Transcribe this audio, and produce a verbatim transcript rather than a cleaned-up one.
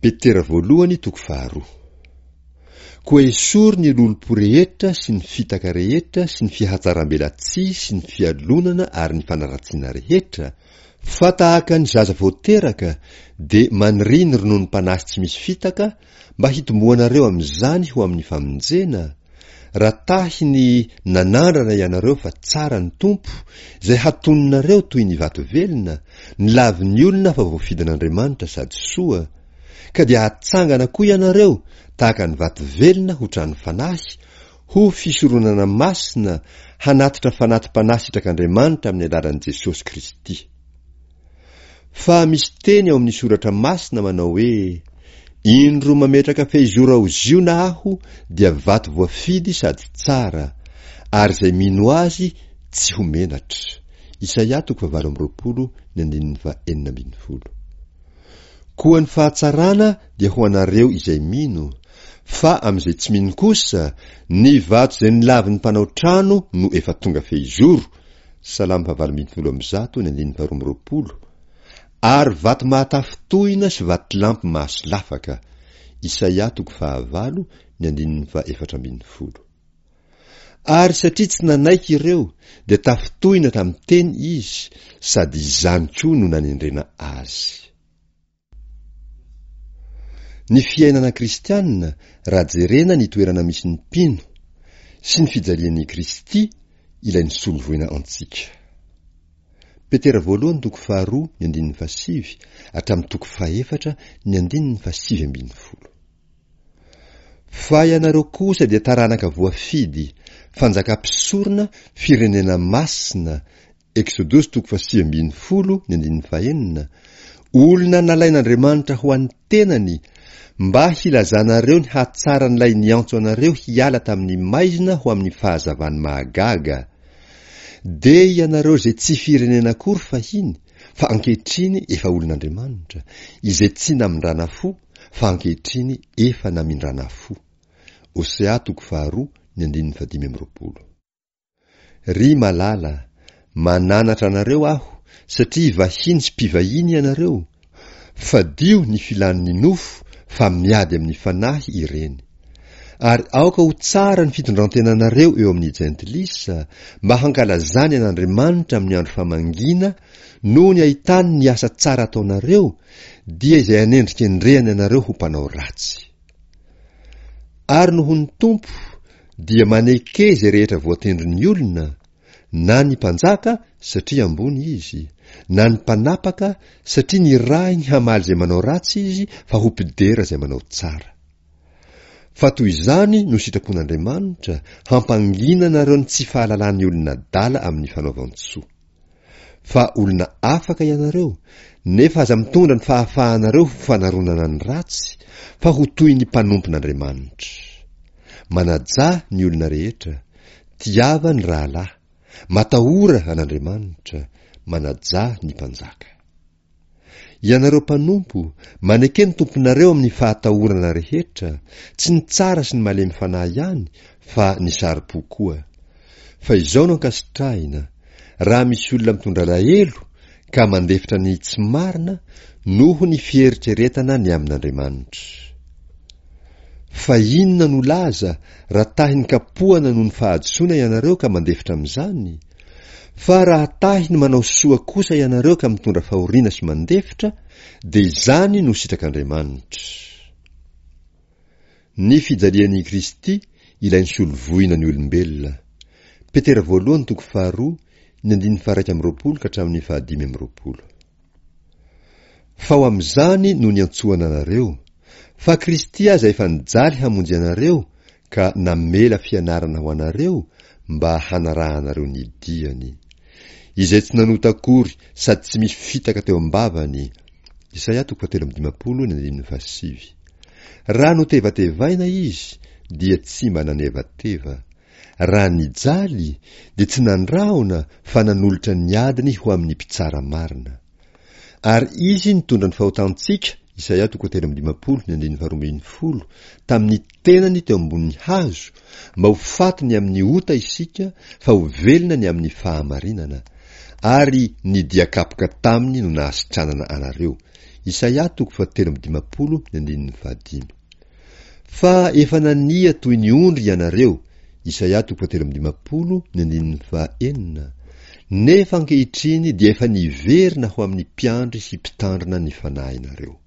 Petera voalohany toko faharoa. Koa esory ny lolompo rehetra sy ny fitaka rehetra sy ny fihatsaram-belatsihy sy ny fialonana ary ny fanaratsiana rehetra, fa tahaka ny zaza vao teraka dia maniria ny rononom-panahy tsy misy fitaka mba hitomboanareo amin'izany ho amin'ny famonjena, raha tahy ny nanandrana ianareo fa tsara ny Tompo, izay hatoninareo toy ny vato velona, ny lavin'ny olona fa voafidin'Andriamanitra sady soa, ka dia hatsangana koa ianareo tahaka ny vato velona ho trano fanahy, ho fisoronana masina hanatitra fanati-panahy sitrak'Andriamanitra amin'ny alalan'i Jesosy Kristy. Fa misy teny ao amin'ny soratra masina manao hoe: Indro mametraka fehizoro ao Ziona aho dia vato voafidy sady tsara, ary izay mino azy tsy ho menatra. Isaia toko fahavalo amby roapolo ny andininy fahenina ambin'ny folo. Koa ny fahatsarana dia ho anareo izay mino, fa amin'izay tsy mino kosa, ny vato izay nilavin'ny mpanao trano no efa tonga fehizoro, Salamo fahavalo ambin'ny folo amby zato ny andininy faharoa amby roapolo, ary vato mahatafintohina sy vatolampy mahasolafaka, Isaia toko fahavalo ny andininy fahaefatra ambin'ny folo. Ary satria tsy nanaiky ireo, dia tafintohina tamin'ny teny izy, sady izany koa no nanendrena azy. Ny fiainana kristianina raha jerena ny toerana misy ny mpino sy ny fijalian'i Kristy ilay nisolo voina antsika. Petera voalohany toko faharoa ny andininy fahasivy hatramin'ny toko fahefatra ny andininy fahasivy ambin'ny folo. Fa ianareo kosa dia taranaka voafidy, fanjaka mpisorona, firenena masina, Eksodosy toko fahasivy ambin'ny folo ny andininy fahenina, olona nalain'Andriamanitra ho an'ny tenany mba hilazanareo ny hatsaran'ilay niantso anareo hiala tamin'ny maizina ho amin'ny fahazavany mahagaga. Dia ianareo izay tsy firenena akory fahiny, fa ankehitriny efa olon'Andriamanitra, izay tsy namindrana fo, fa ankehitriny efa namindrana fo. Osea toko faharoa ny andininy fahadimy amby roapolo. Ry malala, mananatra anareo aho, satria vahiny sy mpivahiny ianareo, fadio ny filan'ny nofo fa miady amin'ny fanahy ireny. Ary aoka ho tsara ny fitondrantenanareo eo amin'ny jentilisa, mba hankalazany an'Andriamanitra amin'ny andro famangiana noho ny ahitany ny asa tsara ataonareo, dia izay anendrikendrehany anareo ho mpanao ratsy. Ary noho ny Tompo dia maneke izay rehetra voatendrin'ny olona, na ny mpanjaka satria ambony izy, na ny mpanapaka satria nirahiny hamaly izay manao ratsy izy fa ho mpidera izay manao tsara. Fa toy izany no sitrapon'Andriamanitra hampangina anareo ny tsy fahalalan'ny olona adala amin'ny fanaovan-tsoa. Fa olona afaka ianareo, nefa aza mitondra ny fahafahanareo ho fanaronana ny ratsy, fa ho toy ny mpanompon'Andriamanitra. Manajà ny olona rehetra, tiava ny rahalahy, matahora an'Andriamanitra, manajà ny mpanjaka. Ianareo mpanompo, maneke ny tomponareo amin'ny fahatahorana rehetra, tsy ny tsara sy ny malemy fanahy ihany, fa ny saro-po koa. Fa izao no ankasitrahina, raha misy olona mitondra alahelo ka mandefitra ny tsy marina noho ny fieritreretana ny amin'Andriamanitra. Fa inona no laza raha tahin'ny kapohana noho ny fahadisoana ianareo ka mandefitra amin'izany? Fa raha tahy ny manao soa kosa ianareo ka mitondra fahoriana sy mandefitra, dia izany no sitrak'Andriamanitra. Ny fijalian'i Kristy ilay nisolo voina ny olombelona. Petera voalohany toko faharoa, ny andininy faha-iraika amby roapolo ka hatramin'ny fahadimy amby roapolo. Fa ho amin'izany no niantsoana anareo, fa Kristy aza efa nijaly hamonjy anareo ka namela fianarana ho anareo mba hanarahanareo ny diany. Izay tsy nanota akory sady tsy misy fitaka teo am-bavany. Isaia toko fahatelo amby dimampolo ny andininy fahasivy. Raha notevatevaina izy dia tsy mba nanevateva. Raha nijaly dia tsy nandrahona fa nanolotra ny adiny ho amin'ny mpitsara marina. Ary izy nitondra ny fahotantsika, Isaia toko telo amby dimampolo ny andininy faharoa ambin'ny folo, tamin'ny tenany teo ambonin'ny hazo, mba ho faty ny amin'ny ota isika fa ho velona ny amin'ny fahamarinana, ary ny dia kapoka taminy no nahasitranana anareo. Isaia toko fahatelo amby dimampolo ny andininy fahadimy. Fa efa nania toy ny ondry ianareo, Isaia toko fahatelo amby dimampolo ny andininy fahaenina, nefa ankehitriny dia efa niverina ho amin'ny mpiandry sy mpitandrina ny fanahinareo.